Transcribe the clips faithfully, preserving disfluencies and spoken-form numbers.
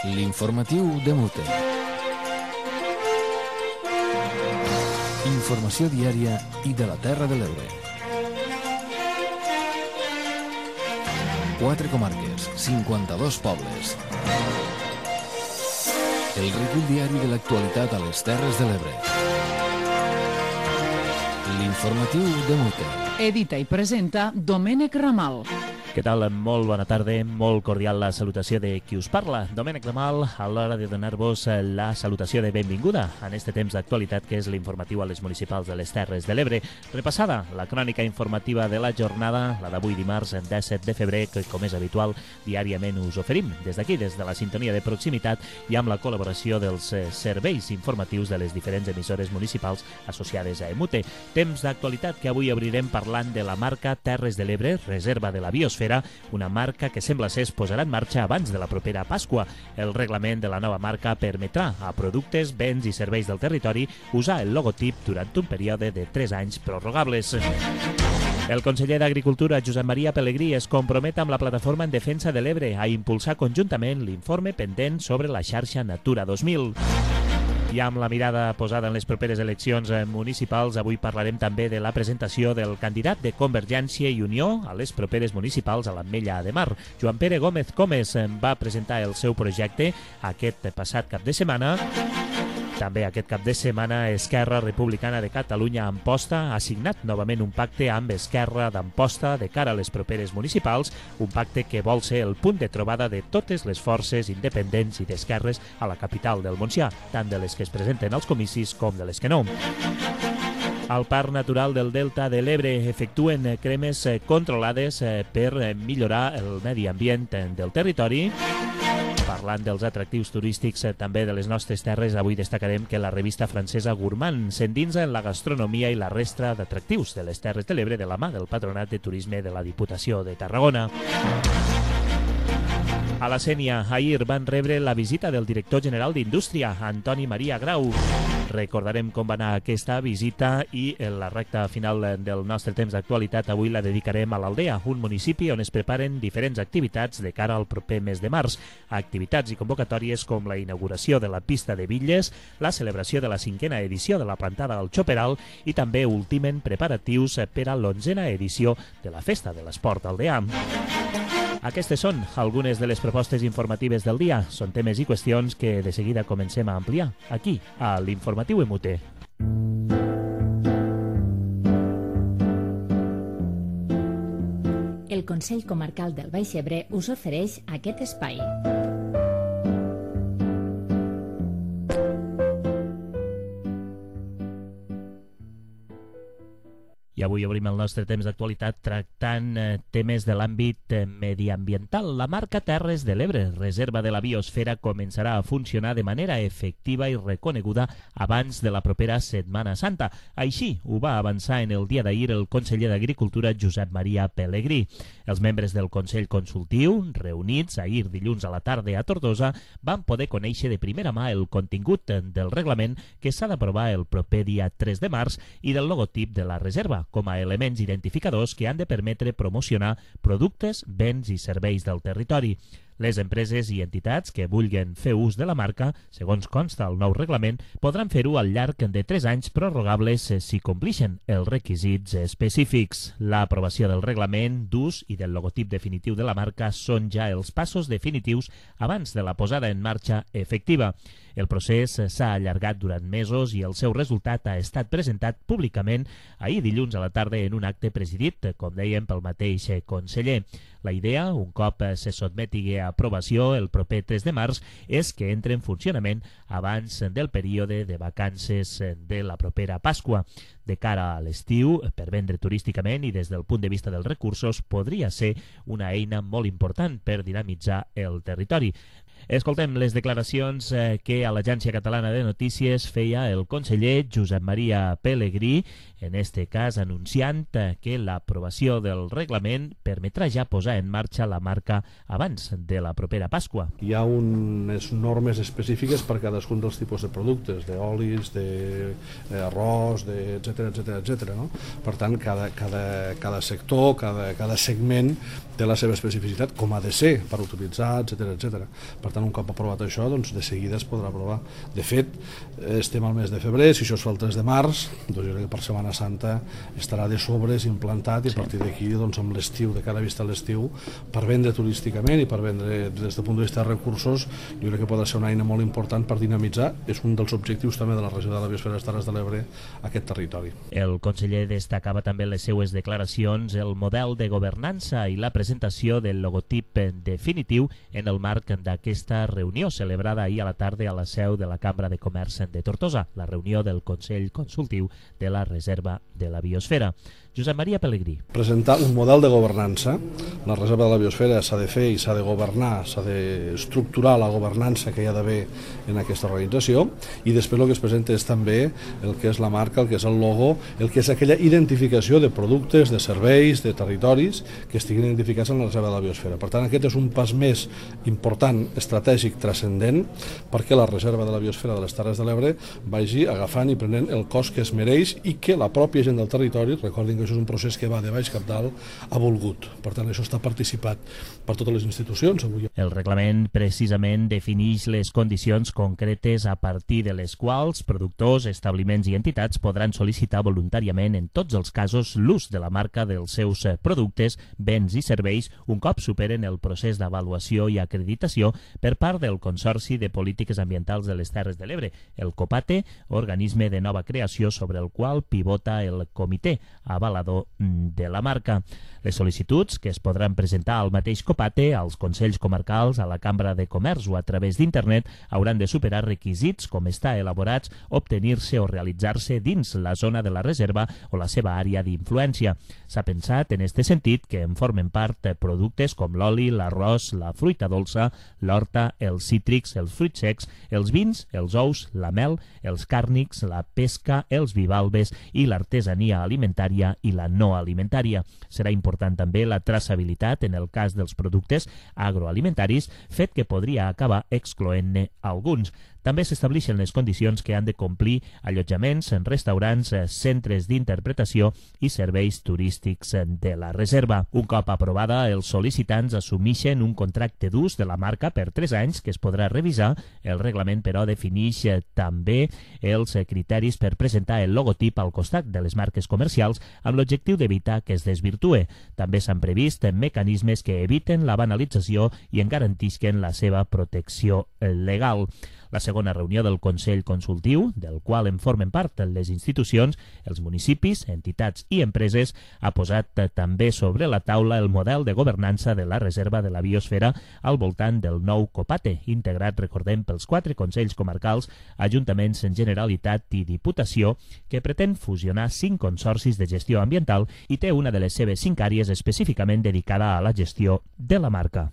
L'informatiu de Mute. Informació diària i de la Terra de l'Ebre. Quatre comarques, cinquanta-dos pobles. El recull diari de l'actualitat a les Terres de l'Ebre. L'informatiu de Mute. Edita i presenta Domènec Ramal. Què tal? Molt bona tarda, molt cordial la salutació de qui us parla. Domènec Ramal, a l'hora de donar-vos la salutació de benvinguda en este temps d'actualitat que és l'informatiu a les municipals de les Terres de l'Ebre. Repassada la crònica informativa de la jornada, la d'avui dimarts disset de febrer, que com és habitual diàriament us oferim des d'aquí, des de la sintonia de proximitat i amb la col·laboració dels serveis informatius de les diferents emissores municipals associades a Emute. Temps d'actualitat que avui obrirem parlant de la marca Terres de l'Ebre, reserva de la biosfera, una marca que sembla ser es posarà en marxa abans de la propera Pasqua. El reglament de la nova marca permetrà a productes, béns i serveis del territori usar el logotip durant un període de tres anys prorrogables. El conseller d'Agricultura, Josep Maria Pelegrí, es compromet amb la Plataforma en Defensa de l'Ebre a impulsar conjuntament l'informe pendent sobre la xarxa Natura dos mil. I amb la mirada posada en les properes eleccions municipals, avui parlarem també de la presentació del candidat de Convergència i Unió a les properes municipals a l'Ametlla de Mar. Joan Pere Gómez Comes va presentar el seu projecte aquest passat cap de setmana. També aquest cap de setmana Esquerra Republicana de Catalunya Amposta ha signat novament un pacte amb Esquerra d'Amposta de cara a les properes municipals, un pacte que vol ser el punt de trobada de totes les forces independents i d'esquerres a la capital del Montsià, tant de les que es presenten als comicis com de les que no. Al Parc Natural del Delta de l'Ebre efectuen cremes controlades per millorar el medi ambient del territori. Parlant dels atractius turístics també de les nostres terres, avui destacarem que la revista francesa Gourmand s'endinsa en la gastronomia i la resta d'atractius de les Terres de l'Ebre de la mà del Patronat de Turisme de la Diputació de Tarragona. A la Sénia, ahir van rebre la visita del director general d'Indústria, Antoni Maria Grau. Recordarem com va anar aquesta visita i la recta final del nostre temps d'actualitat avui la dedicarem a l'Aldea, un municipi on es preparen diferents activitats de cara al proper mes de març. Activitats i convocatòries com la inauguració de la pista de bitlles, la celebració de la cinquena edició de la plantada al Xoperal i també ultimen preparatius per a l'onzena edició de la Festa de l'Esport Aldeà. Aquestes són algunes de les propostes informatives del dia. Són temes i qüestions que de seguida comencem a ampliar aquí, a l'Informatiu Emute. El Consell Comarcal del Baix Ebre us ofereix aquest espai. I avui obrim el nostre temps d'actualitat tractant eh, temes de l'àmbit eh, mediambiental. La marca Terres de l'Ebre, reserva de la biosfera, començarà a funcionar de manera efectiva i reconeguda abans de la propera Setmana Santa. Així ho va avançar en el dia d'ahir el conseller d'Agricultura, Josep Maria Pelegrí. Els membres del Consell Consultiu, reunits ahir dilluns a la tarda a Tortosa, van poder conèixer de primera mà el contingut del reglament que s'ha d'aprovar el proper dia tres de març i del logotip de la reserva, com a elements identificadors que han de permetre promocionar productes, béns i serveis del territori. Les empreses i entitats que vulguin fer ús de la marca, segons consta el nou reglament, podran fer-ho al llarg de tres anys prorrogables si complixen els requisits específics. L'aprovació del reglament d'ús i del logotip definitiu de la marca són ja els passos definitius abans de la posada en marxa efectiva. El procés s'ha allargat durant mesos i el seu resultat ha estat presentat públicament ahir dilluns a la tarda en un acte presidit, com dèiem, pel mateix conseller. La idea, un cop se sotmeti a aprovació el proper tres de març, és que entre en funcionament abans del període de vacances de la propera Pasqua. De cara a l'estiu, per vendre turísticament i des del punt de vista dels recursos, podria ser una eina molt important per dinamitzar el territori. Escoltem les declaracions que a l'Agència Catalana de Notícies feia el conseller Josep Maria Pelegrí, en este cas anunciant que l'aprovació del reglament permetrà ja posar en marxa la marca abans de la propera Pasqua. Hi ha unes normes específiques per cadascun dels tipus de productes, d'olis, d'arròs, etcètera, etcètera, etcètera. No? Per tant, cada, cada, cada sector, cada, cada segment té la seva especificitat, com ha de ser per utilitzar, etcètera, etcètera. Per Per tant, un cop aprovat això, doncs de seguida es podrà aprovar. De fet, estem al mes de febrer, si això es fa el tres de març, doncs jo crec que per Setmana Santa estarà de sobres implantat i a partir d'aquí, doncs amb l'estiu, de cara a vista a l'estiu, per vendre turísticament i per vendre des del punt de vista de recursos, jo crec que podrà ser una eina molt important per dinamitzar, és un dels objectius també de la regió de la Biosfera de les Terres de l'Ebre, aquest territori. El conseller destacava també en les seues declaracions el model de governança i la presentació del logotip definitiu en el marc d'aquesta reunió celebrada ahir a la tarda a la seu de la Cambra de Comerç de Tortosa, la reunió del Consell Consultiu de la Reserva de la Biosfera. Josep Maria Pellegrí. Presentar un model de governança. La Reserva de la Biosfera s'ha de fer i s'ha de governar, s'ha d'estructurar la governança que hi ha d'haver en aquesta organització, i després el que es presenta és també el que és la marca, el que és el logo, el que és aquella identificació de productes, de serveis, de territoris que estiguin identificats en la Reserva de la Biosfera. Per tant, aquest és un pas més important, estratègic, transcendent, perquè la Reserva de la Biosfera de les Terres de l'Ebre vagi agafant i prenent el cos que es mereix i que la pròpia gent del territori, recordin que això és un procés que va de baix cap dalt, ha volgut. Per tant, això està participat per totes les institucions. Avui. El reglament precisament defineix les condicions concretes a partir de les quals productors, establiments i entitats podran sol·licitar voluntàriament en tots els casos l'ús de la marca dels seus productes, béns i serveis un cop superen el procés d'avaluació i acreditació per part del Consorci de Polítiques Ambientals de les Terres de l'Ebre, el COPATE, organisme de nova creació sobre el qual pivota el comitè avalador de la marca. Les sol·licituds, que es podran presentar al mateix COPATE, als Consells Comarcals, a la Cambra de Comerç o a través d'internet, hauran de superar requisits com estar elaborats, obtenir-se o realitzar-se dins la zona de la reserva o la seva àrea d'influència. S'ha pensat en este sentit que en formen part productes com l'oli, l'arròs, la fruita dolça, l'horta, els cítrics, els fruits secs, els vins, els ous, la mel, els càrnics, la pesca, els bivalves i l'artesania alimentària i la no alimentària. Serà important també la traçabilitat en el cas dels productes agroalimentaris, fet que podria acabar excloent-ne alguns. També s'estableixen les condicions que han de complir allotjaments en restaurants, centres d'interpretació i serveis turístics de la reserva. Un cop aprovada, els sol·licitants assumeixen un contracte d'ús de la marca per tres anys que es podrà revisar. El reglament, però, defineix també els criteris per presentar el logotip al costat de les marques comercials amb l'objectiu d'evitar que es desvirtue. També s'han previst mecanismes que eviten la banalització i en garantisquen la seva protecció legal. La segona reunió del Consell Consultiu, del qual en formen part les institucions, els municipis, entitats i empreses, ha posat també sobre la taula el model de governança de la Reserva de la Biosfera al voltant del nou COPATE, integrat, recordem, pels quatre Consells Comarcals, Ajuntaments en Generalitat i Diputació, que pretén fusionar cinc consorcis de gestió ambiental i té una de les seves cinc àrees específicament dedicada a la gestió de la marca.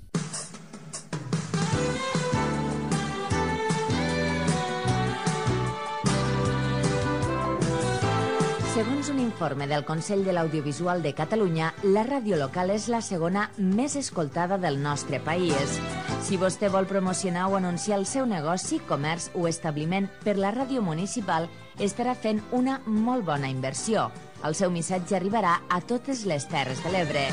Segons un informe del Consell de l'Audiovisual de Catalunya, la ràdio local és la segona més escoltada del nostre país. Si vostè vol promocionar o anunciar el seu negoci, comerç o establiment per la ràdio municipal, estarà fent una molt bona inversió. El seu missatge arribarà a totes les Terres de l'Ebre.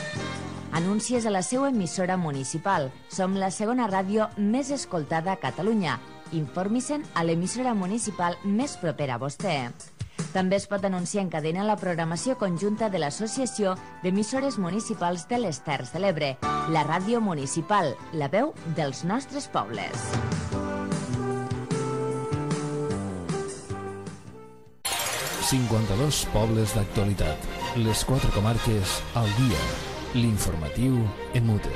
Anuncies a la seva emissora municipal. Som la segona ràdio més escoltada a Catalunya. Informi-se'n a l'emissora municipal més propera a vostè. També es pot anunciar en cadena la programació conjunta de l'Associació d'Emissores Municipals de les Terres de l'Ebre, la ràdio municipal, la veu dels nostres pobles. cinquanta-dos pobles d'actualitat. Les quatre comarques al dia. L'informatiu en Mute.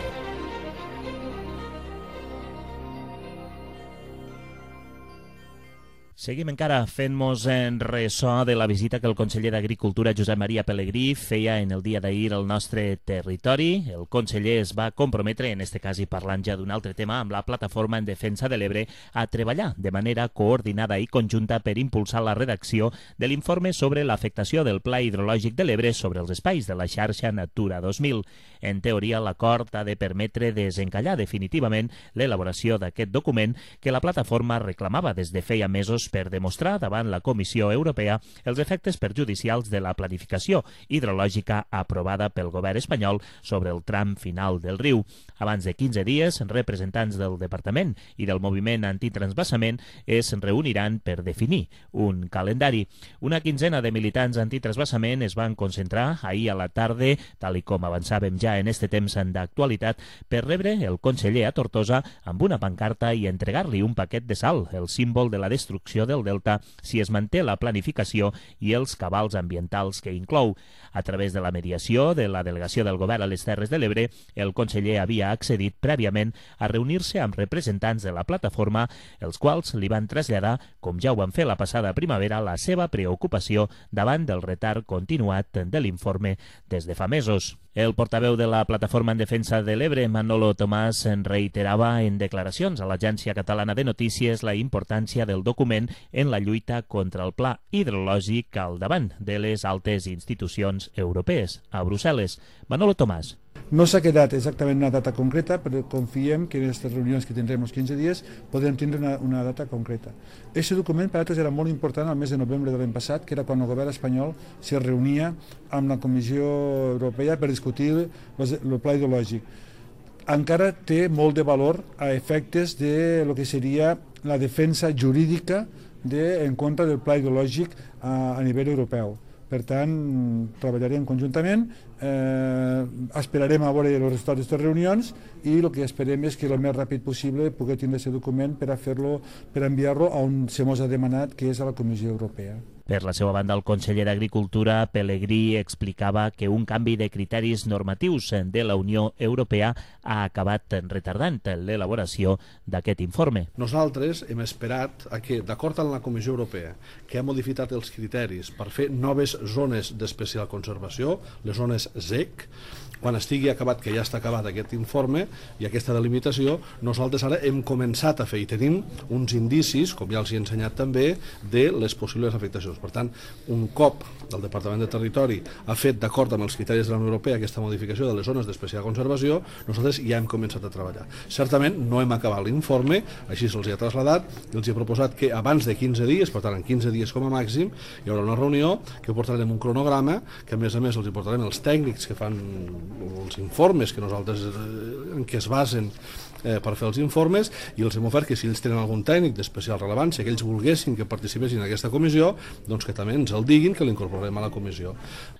Seguim encara fent-nos en ressò de la visita que el conseller d'Agricultura, Josep Maria Pellegrí, feia en el dia d'ahir al nostre territori. El conseller es va comprometre, en este cas i parlant ja d'un altre tema, amb la Plataforma en Defensa de l'Ebre, a treballar de manera coordinada i conjunta per impulsar la redacció de l'informe sobre l'afectació del Pla Hidrològic de l'Ebre sobre els espais de la xarxa Natura dos mil. En teoria, l'acord ha de permetre desencallar definitivament l'elaboració d'aquest document que la plataforma reclamava des de feia mesos per demostrar davant la Comissió Europea els efectes perjudicials de la planificació hidrològica aprovada pel govern espanyol sobre el tram final del riu. Abans de quinze dies, representants del Departament i del moviment antitransvasament es reuniran per definir un calendari. Una quinzena de militants antitransvasament es van concentrar ahir a la tarda, tal i com avançàvem ja en este temps d'actualitat, per rebre el conseller a Tortosa amb una pancarta i entregar-li un paquet de sal, el símbol de la destrucció del delta, si es manté la planificació i els cabals ambientals que inclou. A través de la mediació de la delegació del govern a les Terres de l'Ebre, el conseller havia accedit prèviament a reunir-se amb representants de la plataforma, els quals li van traslladar, com ja ho van fer la passada primavera, la seva preocupació davant del retard continuat de l'informe des de fa mesos. El portaveu de la Plataforma en Defensa de l'Ebre, Manolo Tomàs, reiterava en declaracions a l'Agència Catalana de Notícies la importància del document en la lluita contra el pla hidrològic al davant de les altes institucions europees a Brussel·les. Manolo Tomàs. No s'ha quedat exactament una data concreta, però confiem que en aquestes reunions que tindrem els quinze dies podrem tindre una, una data concreta. Aquest document per a nosaltres era molt important al mes de novembre de l'any passat, que era quan el govern espanyol se reunia amb la Comissió Europea per discutir el pla hidrològic. Encara té molt de valor a efectes de lo que seria la defensa jurídica de, en contra del pla hidrològic a, a nivell europeu. Per tant, treballarem conjuntament, eh, esperarem a veure els resultats d'aquestes reunions i el que esperem és que el més ràpid possible pugui tindre aquest document per a fer-lo, per enviar-lo a on se mos ha demanat, que és a la Comissió Europea. Per la seva banda, el conseller d'Agricultura, Pelegrí, explicava que un canvi de criteris normatius de la Unió Europea ha acabat retardant l'elaboració d'aquest informe. Nosaltres hem esperat a que, d'acord amb la Comissió Europea, que ha modificat els criteris per fer noves zones d'especial conservació, les zones Z E C, quan estigui acabat, que ja està acabat aquest informe i aquesta delimitació, nosaltres ara hem començat a fer i tenim uns indicis, com ja els he ensenyat també, de les possibles afectacions. Per tant, un cop el Departament de Territori ha fet, d'acord amb els criteris de la Unió Europea, aquesta modificació de les zones d'especial conservació, nosaltres ja hem començat a treballar. Certament no hem acabat l'informe, així se'ls ha traslladat, i els he proposat que abans de quinze dies, per tant en quinze dies com a màxim, hi haurà una reunió que portarem un cronograma, que a més a més els hi portarem els tècnics que fan els informes que nosaltres en què es basen eh, per fer els informes, i els hem ofert que si ells tenen algun tècnic d'especial rellevància que ells volguessin que participessin en aquesta comissió, doncs que també ens el diguin, que l'incorporarem a la comissió.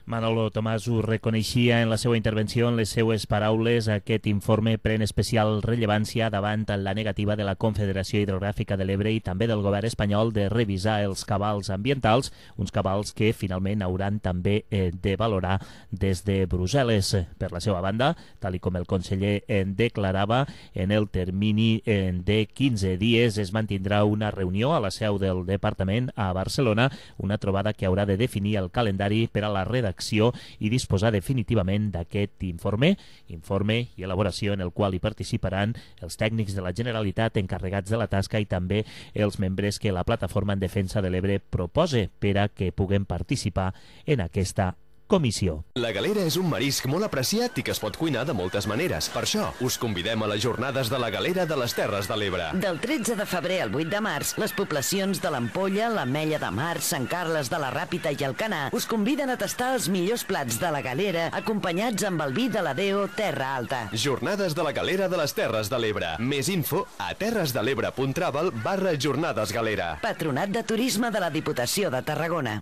Manolo Tomàs ho reconeixia en la seva intervenció, en les seues paraules. Aquest informe pren especial rellevància davant la negativa de la Confederació Hidrogràfica de l'Ebre i també del govern espanyol de revisar els cabals ambientals, uns cabals que finalment hauran també eh, de valorar des de Brussel·les. Per la seva banda, tal i com el conseller en declarava, en el termini de quinze dies es mantindrà una reunió a la seu del departament a Barcelona, una trobada que haurà de definir el calendari per a la redacció i disposar definitivament d'aquest informe, informe i elaboració en el qual hi participaran els tècnics de la Generalitat encarregats de la tasca i també els membres que la Plataforma en Defensa de l'Ebre propose per a que puguem participar en aquesta comissió. La galera és un marisc molt apreciat i que es pot cuinar de moltes maneres. Per això, us convidem a les jornades de la galera de les Terres de l'Ebre. Del tretze de febrer al vuit de març, les poblacions de l'Ampolla, l'Ametlla de Mar, Sant Carles de la Ràpita i Alcanar us conviden a tastar els millors plats de la galera acompanyats amb el vi de la Deo Terra Alta. Jornades de la galera de les Terres de l'Ebre. Més info a terresdelebre punt travel barra jornades galera. Patronat de Turisme de la Diputació de Tarragona.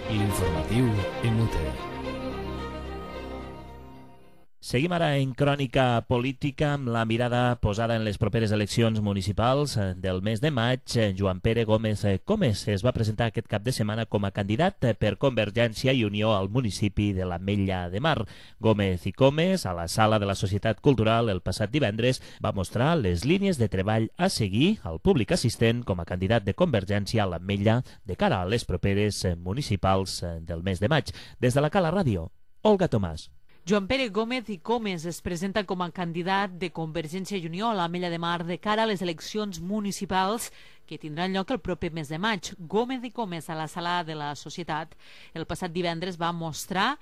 L'informatiu en U T E. Seguim ara en crònica política amb la mirada posada en les properes eleccions municipals del mes de maig. Joan Pere Gómez Comes es va presentar aquest cap de setmana com a candidat per Convergència i Unió al municipi de l'Ametlla de Mar. Gómez i Comes, a la sala de la Societat Cultural el passat divendres, va mostrar les línies de treball a seguir al públic assistent com a candidat de Convergència a l'Ametlla de cara a les properes municipals del mes de maig. Des de la Cala Ràdio, Olga Tomàs. Joan Pere Gómez i Comes es presenta com a candidat de Convergència i Unió a l'Ametlla de Mar de cara a les eleccions municipals que tindran lloc el proper mes de maig. Gómez i Comes, a la sala de la Societat, el passat divendres va mostrar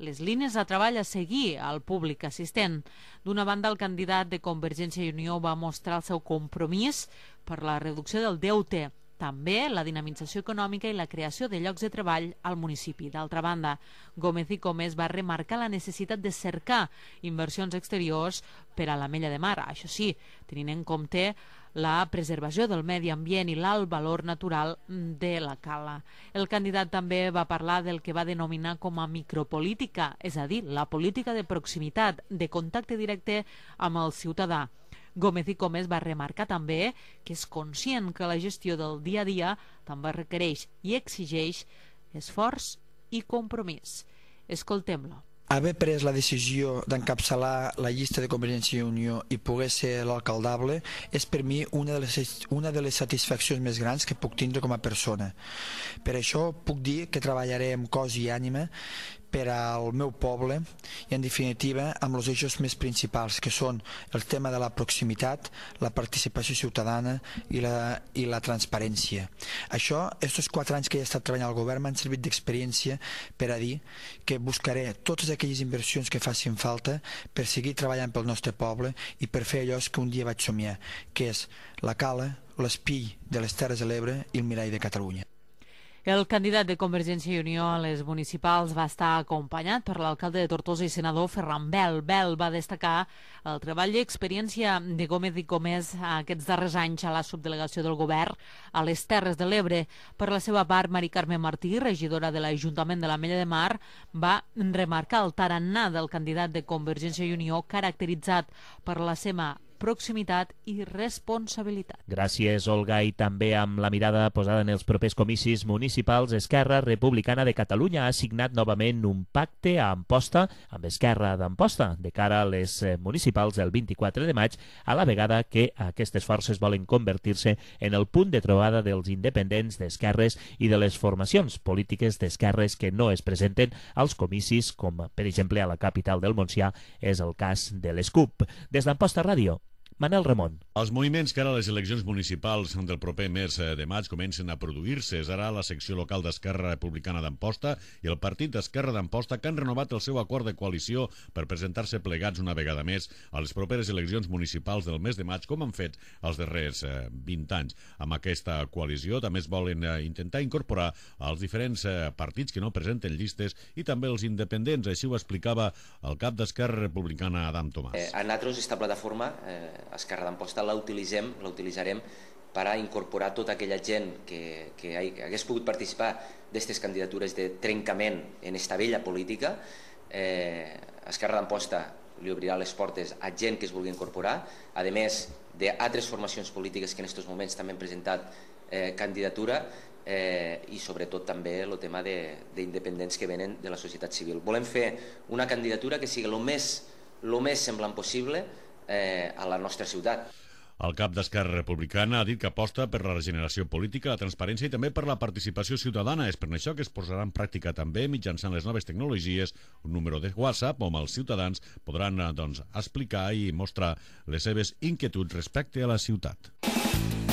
les línies de treball a seguir al públic assistent. D'una banda, el candidat de Convergència i Unió va mostrar el seu compromís per la reducció del deute també la dinamització econòmica i la creació de llocs de treball al municipi. D'altra banda, Gómez i Comes va remarcar la necessitat de cercar inversions exteriors per a l'Ametlla de Mar. Això sí, tenint en compte la preservació del medi ambient i l'alt valor natural de la cala. El candidat també va parlar del que va denominar com a micropolítica, és a dir, la política de proximitat, de contacte directe amb el ciutadà. Gómez i Comes va remarcar també que és conscient que la gestió del dia a dia també requereix i exigeix esforç i compromís. Escoltem-lo. Haver pres la decisió d'encapçalar la llista de Convergència i Unió i poder ser l'alcaldable és per mi una de, les, una de les satisfaccions més grans que puc tindre com a persona. Per això puc dir que treballaré amb cos i ànima per al meu poble i, en definitiva, amb els eixos més principals, que són el tema de la proximitat, la participació ciutadana i la, i la transparència. Això, aquests quatre anys que he estat treballant al govern, m'han servit d'experiència per a dir que buscaré totes aquelles inversions que facin falta per seguir treballant pel nostre poble i per fer allò que un dia vaig somiar, que és la cala, l'espill de les Terres de l'Ebre i el mirall de Catalunya. El candidat de Convergència i Unió a les municipals va estar acompanyat per l'alcalde de Tortosa i senador Ferran Bel. Bel va destacar el treball i experiència de Gómez i Comes aquests darrers anys a la subdelegació del govern a les Terres de l'Ebre. Per la seva part, Mari Carme Martí, regidora de l'Ajuntament de l'Ametlla de Mar, va remarcar el tarannà del candidat de Convergència i Unió caracteritzat per la seva proximitat i responsabilitat. Gràcies, Olga, i també amb la mirada posada en els propers comicis municipals, Esquerra Republicana de Catalunya ha signat novament un pacte a Amposta amb Esquerra d'Amposta de cara a les municipals del vint-i-quatre de maig, a la vegada que aquestes forces volen convertir-se en el punt de trobada dels independents d'esquerres i de les formacions polítiques d'esquerres que no es presenten als comicis, com per exemple a la capital del Montsià és el cas de l'S C U P. Des d'Amposta Ràdio, Manel Ramon. Els moviments que ara les eleccions municipals del proper mes de maig comencen a produir-se. És ara la secció local d'Esquerra Republicana d'Amposta i el partit d'Esquerra d'Amposta que han renovat el seu acord de coalició per presentar-se plegats una vegada més a les properes eleccions municipals del mes de maig, com han fet els darrers vint anys. Amb aquesta coalició també es volen intentar incorporar els diferents partits que no presenten llistes i també els independents. Així ho explicava el cap d'Esquerra Republicana, Adam Tomàs. Eh, a nosaltres, aquesta plataforma, eh, Esquerra d'Amposta, la utilitzem, la utilitzarem per a incorporar tota aquella gent que, que hagués pogut participar d'aquestes candidatures de trencament en esta vella política. Eh, Esquerra d'Amposta li obrirà les portes a gent que es vulgui incorporar, a més d'altres formacions polítiques que en aquests moments també han presentat eh, candidatura, eh, i sobretot també el tema d'independents que venen de la societat civil. Volem fer una candidatura que sigui el més, el més semblant possible Eh, a la nostra ciutat. El cap d'Esquerra Republicana ha dit que aposta per la regeneració política, la transparència i també per la participació ciutadana. És per això que es posarà en pràctica també mitjançant les noves tecnologies un número de WhatsApp on els ciutadans podran doncs, explicar i mostrar les seves inquietuds respecte a la ciutat.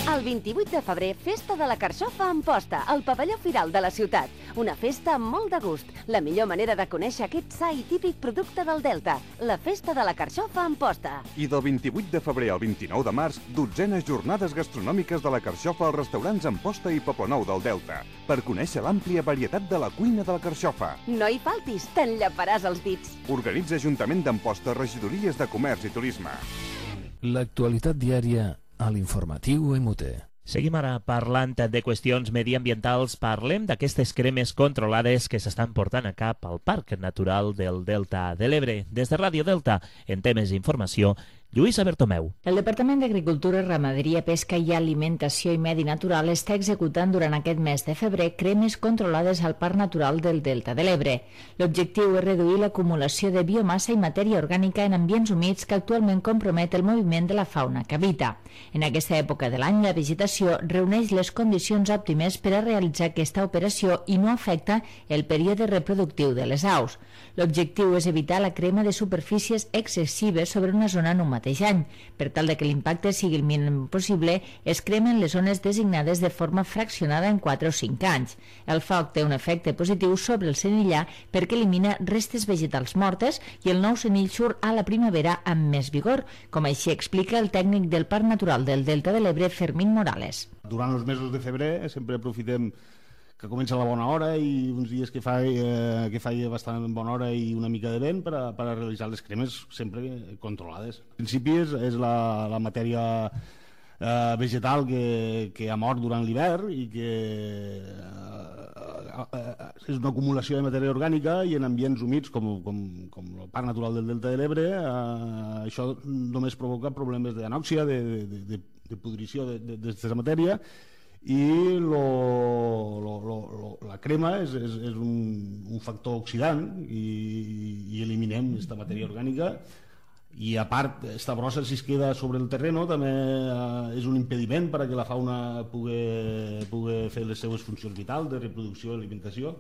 El vint-i-vuit de febrer, Festa de la Carxofa a Amposta, al pavelló Firal de la ciutat. Una festa amb molt de gust. La millor manera de conèixer aquest sa i típic producte del Delta. La Festa de la Carxofa a Amposta. I del vint-i-vuit de febrer al vint-i-nou de març, dotzenes jornades gastronòmiques de la Carxofa als restaurants Amposta i Poblenou del Delta, per conèixer l'àmplia varietat de la cuina de la Carxofa. No hi faltis, t'enllaparàs els dits. Organitza Ajuntament d'Amposta, regidories de Comerç i Turisme. L'actualitat diària a l'informatiu M U T. Seguim ara parlant de qüestions mediambientals. Parlem d'aquestes cremes controlades que s'estan portant a cap al Parc Natural del Delta de l'Ebre. Des de Ràdio Delta, en temes d'informació, Lluïsa Bertomeu. El Departament d'Agricultura, Ramaderia, Pesca i Alimentació i Medi Natural està executant durant aquest mes de febrer cremes controlades al Parc Natural del Delta de l'Ebre. L'objectiu és reduir l'acumulació de biomassa i matèria orgànica en ambients humits que actualment compromet el moviment de la fauna que habita. En aquesta època de l'any, la vegetació reuneix les condicions òptimes per a realitzar aquesta operació i no afecta el període reproductiu de les aus. L'objectiu és evitar la crema de superfícies excessives sobre una zona normativa mateix any. Per tal de que l'impacte sigui el mínim possible, es cremen les zones designades de forma fraccionada en quatre o cinc anys. El foc té un efecte positiu sobre el senillar perquè elimina restes vegetals mortes i el nou senill surt a la primavera amb més vigor, com així explica el tècnic del Parc Natural del Delta de l'Ebre, Fermín Morales. Durant els mesos de febrer sempre aprofitem que comença la bona hora i uns dies que fa, eh, que fa bastant bona hora i una mica de vent per a, per a realitzar les cremes sempre controlades. En principi és, és la, la matèria eh, vegetal que, que ha mort durant l'hivern i que eh, eh, és una acumulació de matèria orgànica i en ambients humits com, com, com el Parc Natural del Delta de l'Ebre eh, això només provoca problemes d'anòxia, de, de, de, de pudrició d'aquesta matèria i lo, lo, lo, lo, la crema és, és, és un, un factor oxidant i, i eliminem aquesta matèria orgànica i a part, esta brossa si es queda sobre el terreno també eh, és un impediment per a que la fauna pugui, pugui fer les seues funcions vitals de reproducció i alimentació.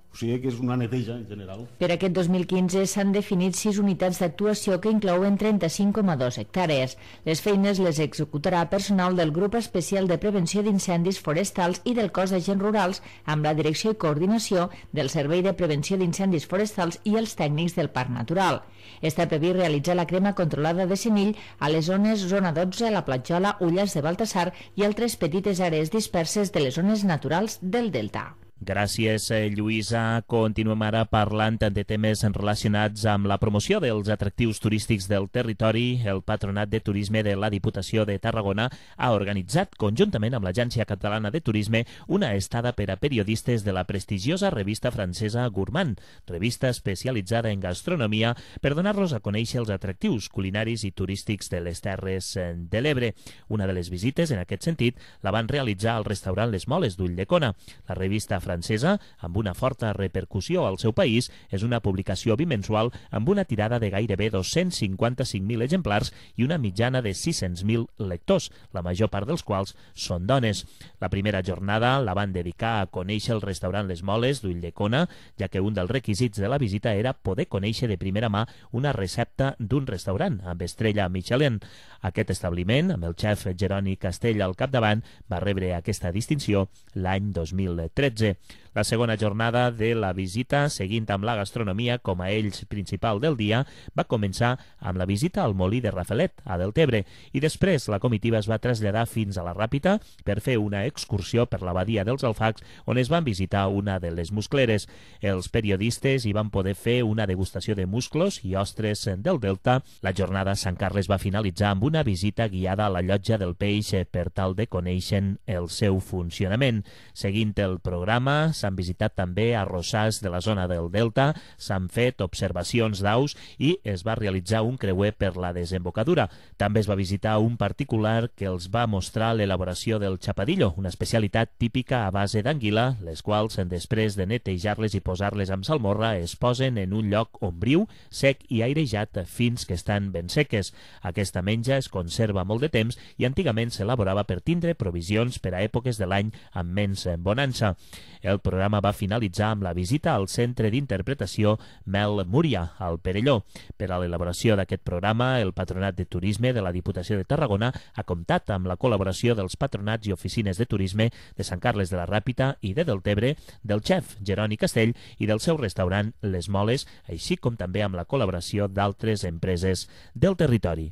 O sigui que és una neteja en general. Per aquest dos mil quinze s'han definit sis unitats d'actuació que inclouen trenta-cinc coma dos hectàrees. Les feines les executarà personal del Grup Especial de Prevenció d'Incendis Forestals i del Cos d'Agents Rurals amb la direcció i coordinació del Servei de Prevenció d'Incendis Forestals i els tècnics del Parc Natural. Està previst realitzar la crema controlada de senill a les zones Zona dotze, La Platjola, Ullars de Baltasar i altres petites àrees disperses de les zones naturals del Delta. Gràcies, Lluïsa. Continuem ara parlant de temes relacionats amb la promoció dels atractius turístics del territori. El Patronat de Turisme de la Diputació de Tarragona ha organitzat, conjuntament amb l'Agència Catalana de Turisme, una estada per a periodistes de la prestigiosa revista francesa Gourmand, revista especialitzada en gastronomia, per donar-los a conèixer els atractius culinaris i turístics de les Terres de l'Ebre. Una de les visites, en aquest sentit, la van realitzar al restaurant Les Moles d'Ulldecona. La revista francesa, amb una forta repercussió al seu país, és una publicació bimensual amb una tirada de gairebé dos-cents cinquanta-cinc mil exemplars i una mitjana de sis-cents mil lectors, la major part dels quals són dones. La primera jornada la van dedicar a conèixer el restaurant Les Moles d'Ulldecona, ja que un dels requisits de la visita era poder conèixer de primera mà una recepta d'un restaurant amb estrella Michelin. Aquest establiment, amb el xef Jeroni Castell al capdavant, va rebre aquesta distinció l'any dos mil tretze. La segona jornada de la visita, seguint amb la gastronomia com a eix principal del dia, va començar amb la visita al molí de Rafelet, a Deltebre, i després la comitiva es va traslladar fins a la Ràpita per fer una excursió per la badia dels Alfacs, on es van visitar una de les muscleres. Els periodistes hi van poder fer una degustació de musclos i ostres del Delta. La jornada a Sant Carles va finalitzar amb una visita guiada a la llotja del peix per tal de conèixer el seu funcionament. Seguint el programa, s'han visitat també arrossars de la zona del Delta, s'han fet observacions d'aus i es va realitzar un creuer per la desembocadura. També es va visitar un particular que els va mostrar l'elaboració del chapadillo, una especialitat típica a base d'anguila, les quals, després de netejar-les i posar-les amb salmorra, es posen en un lloc ombriu, sec i airejat fins que estan ben seques. Aquesta menja es conserva molt de temps i antigament s'elaborava per tindre provisions per a èpoques de l'any amb menys bonança. El programa va finalitzar amb la visita al Centre d'Interpretació Mel Múria, al Perelló. Per a l'elaboració d'aquest programa, el Patronat de Turisme de la Diputació de Tarragona ha comptat amb la col·laboració dels patronats i oficines de turisme de Sant Carles de la Ràpita i de Deltebre, del xef Jeroni Castell i del seu restaurant Les Moles, així com també amb la col·laboració d'altres empreses del territori.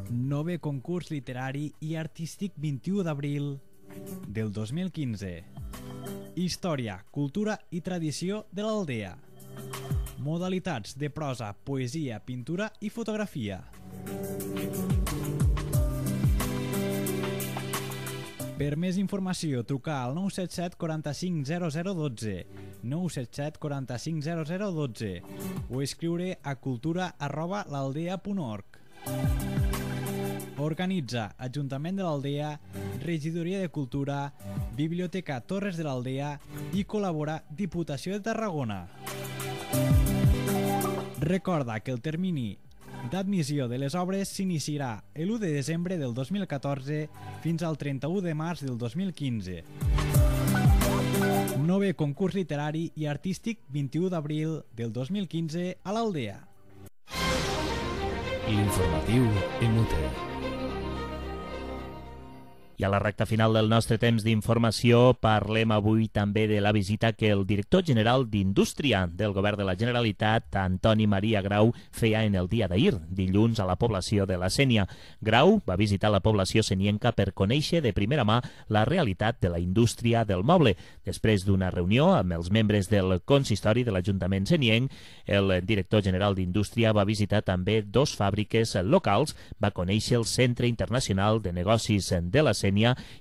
Nove concurs literari i artístic vint-i-u d'abril del dos mil quinze. Història, cultura i tradició de l'Aldea. Modalitats de prosa, poesia, pintura i fotografia. Per més informació, trucar al nou set set quaranta-cinc zero zero dotze, nou set set quaranta-cinc zero zero dotze o escriure a cultura arroba l'aldea punt org. Organitza Ajuntament de l'Aldea, Regidoria de Cultura, Biblioteca Torres de l'Aldea i col·labora Diputació de Tarragona. Recorda que el termini d'admissió de les obres s'iniciarà l'u de desembre del dos mil catorze fins al trenta-u de març del dos mil quinze. Nove concurs literari i artístic vint-i-u d'abril del dos mil quinze a l'Aldea. L'informatiu Emute. I a la recta final del nostre temps d'informació parlem avui també de la visita que el director general d'Indústria del Govern de la Generalitat, Antoni Maria Grau, feia en el dia d'ahir, dilluns, a la població de la Sénia. Grau va visitar la població senienca per conèixer de primera mà la realitat de la indústria del moble. Després d'una reunió amb els membres del consistori de l'Ajuntament senienc, el director general d'Indústria va visitar també dos fàbriques locals, va conèixer el Centre Internacional de Negocis de la Sénia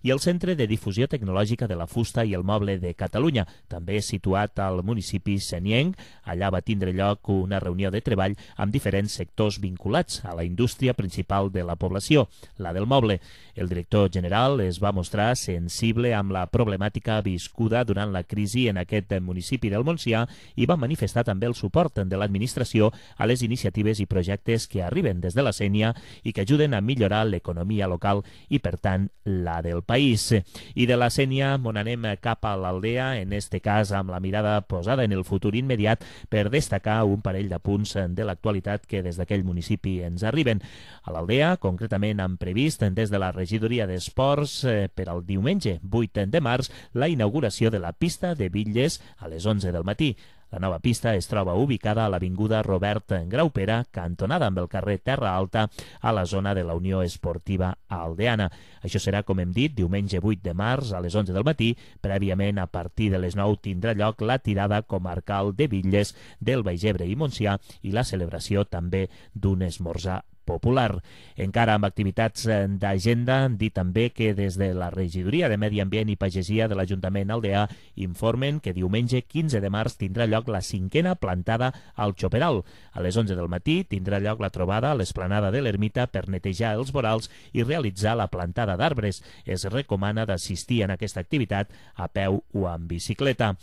i el Centre de Difusió Tecnològica de la Fusta i el Moble de Catalunya, també situat al municipi senienc. Allà va tindre lloc una reunió de treball amb diferents sectors vinculats a la indústria principal de la població, la del moble. El director general es va mostrar sensible amb la problemàtica viscuda durant la crisi en aquest municipi del Montsià i va manifestar també el suport de l'administració a les iniciatives i projectes que arriben des de la Sénia i que ajuden a millorar l'economia local i, per tant, la del país. I de la Sénia mon anem cap a l'Aldea, en este cas amb la mirada posada en el futur immediat per destacar un parell de punts de l'actualitat que des d'aquell municipi ens arriben. A l'Aldea, concretament, han previst des de la regidoria d'Esports eh, per al diumenge vuit de març la inauguració de la pista de bitlles a les onze del matí. La nova pista es troba ubicada a l'avinguda Robert Graupera, cantonada amb el carrer Terra Alta, a la zona de la Unió Esportiva Aldeana. Això serà, com hem dit, diumenge vuit de març a les onze del matí. Prèviament, a partir de les nou, tindrà lloc la tirada comarcal de bitlles del Baix Ebre i Montsià i la celebració també d'un esmorzar popular. Encara amb activitats d'agenda, han dit també que des de la Regidoria de Medi Ambient i Pagesia de l'Ajuntament aldeà informen que diumenge quinze de març tindrà lloc la cinquena plantada al Choperal. A les onze del matí tindrà lloc la trobada a l'esplanada de l'Ermita per netejar els vorals i realitzar la plantada d'arbres. Es recomana d'assistir en aquesta activitat a peu o amb bicicleta.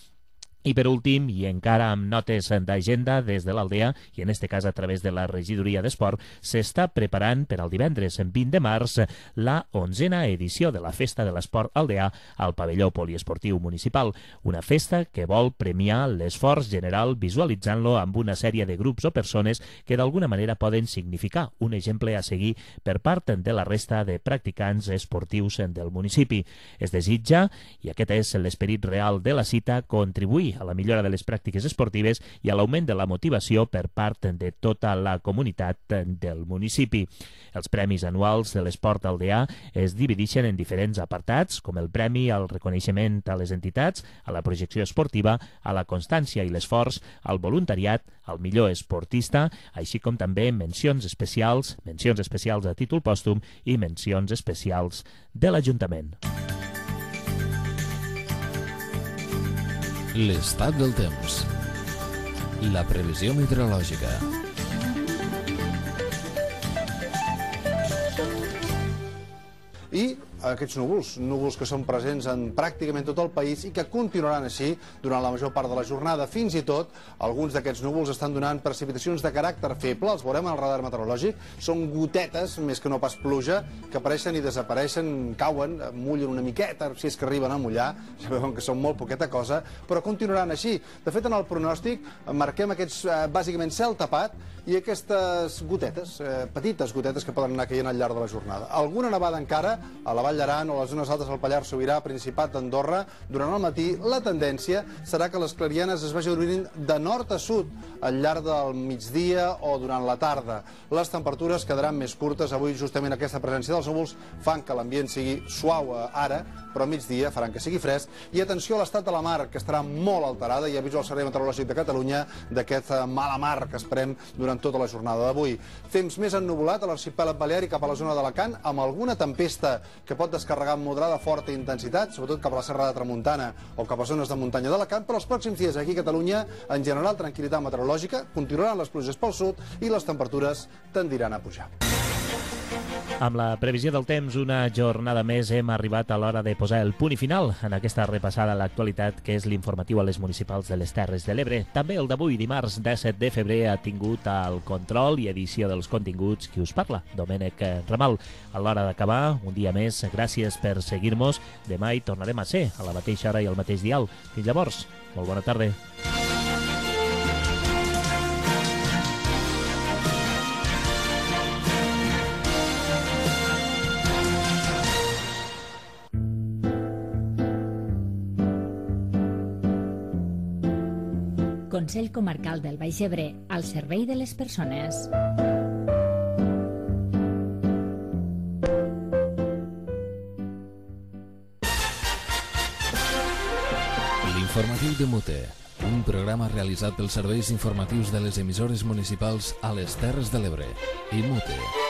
I per últim, i encara amb notes d'agenda des de l'Aldea, i en este cas a través de la Regidoria d'Esport, s'està preparant per al divendres vint de març la onzena edició de la Festa de l'Esport Aldeà al pavelló poliesportiu municipal. Una festa que vol premiar l'esforç general visualitzant-lo amb una sèrie de grups o persones que d'alguna manera poden significar un exemple a seguir per part de la resta de practicants esportius del municipi. Es desitja, i aquest és l'esperit real de la cita, contribuir a la millora de les pràctiques esportives i a l'augment de la motivació per part de tota la comunitat del municipi. Els premis anuals de l'esport aldeà es divideixen en diferents apartats, com el premi al reconeixement a les entitats, a la projecció esportiva, a la constància i l'esforç, al voluntariat, al millor esportista, així com també mencions especials, mencions especials a títol pòstum i mencions especials de l'Ajuntament. L'estat del temps. La previsió meteorològica. I aquests núvols, núvols que són presents en pràcticament tot el país i que continuaran així durant la major part de la jornada. Fins i tot, alguns d'aquests núvols estan donant precipitacions de caràcter feble, els veurem al radar meteorològic, són gotetes, més que no pas pluja, que apareixen i desapareixen, cauen, mullen una miqueta, si és que arriben a mullar, ja veuen que són molt poqueta cosa, però continuaran així. De fet, en el pronòstic marquem aquests, eh, bàsicament, cel tapat i aquestes gotetes, eh, petites gotetes que poden anar caient al llarg de la jornada. Alguna nevada encara a la Vall d'Aran o a les zones altes del Pallars Sobirà, Principat d'Andorra. Durant el matí, la tendència serà que les clarianes es vagin obrir de nord a sud al llarg del migdia o durant la tarda. Les temperatures quedaran més curtes. Avui, justament, aquesta presència dels núvols fan que l'ambient sigui suau ara, però a migdia faran que sigui fresc. I atenció a l'estat de la mar, que estarà molt alterada. Ja aviso al Servei Meteorològic de Catalunya d'aquest mala mar que esperem durant tota la jornada d'avui. Temps més ennuvolat a l'arxipèlag balear i cap a la zona d'Alacant, amb alguna tempesta que pot descarregar amb moderada forta intensitat, sobretot cap a la Serra de Tramuntana o cap a zones de muntanya d'Alacant, però els pròxims dies aquí a Catalunya, en general, tranquil·litat meteorològica, continuaran les pluges pel sud i les temperatures tendiran a pujar. Amb la previsió del temps, una jornada més hem arribat a l'hora de posar el punt i final en aquesta repassada a l'actualitat que és l'informatiu a les municipals de les Terres de l'Ebre. També el d'avui, dimarts disset de febrer, ha tingut el control i edició dels continguts qui us parla, Domènec Ramal. A l'hora d'acabar, un dia més, gràcies per seguir-nos. Demà hi tornarem a ser, a la mateixa hora i al mateix dial. Fins llavors, molt bona tarda. Consell Comarcal del Baix Ebre, al servei de les persones. L'informatiu de Mute, un programa realitzat pels serveis informatius de les emissores municipals a les Terres de l'Ebre i Mute.